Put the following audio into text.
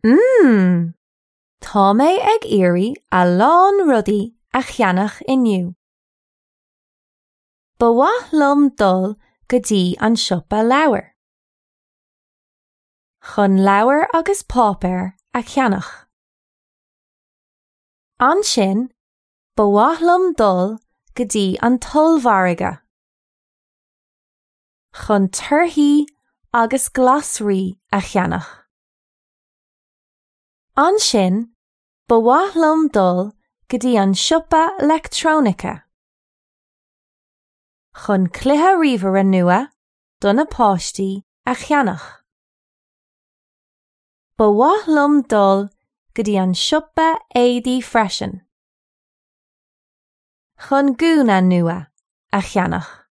Mmm! Tá mé ag iarraidh a lán rudaí a cheannach inniu. Ba mhaith liom dul go dtí an siopa leabhar. Chun leabhair agus páipéar a cheannach. Ansin, ba mhaith liom dul go dtí an t-ollmhargadh. Chun torthaí agus glasraí a cheannach. Ansin, ba mhaith liom dul go dtí an siopa leictreonaice. Chun cluiche ríomhaire nua do na páistí a cheannach. Ba mhaith liom dul go dtí an siopa éadaí freisin. Chun gúna nua a cheannach.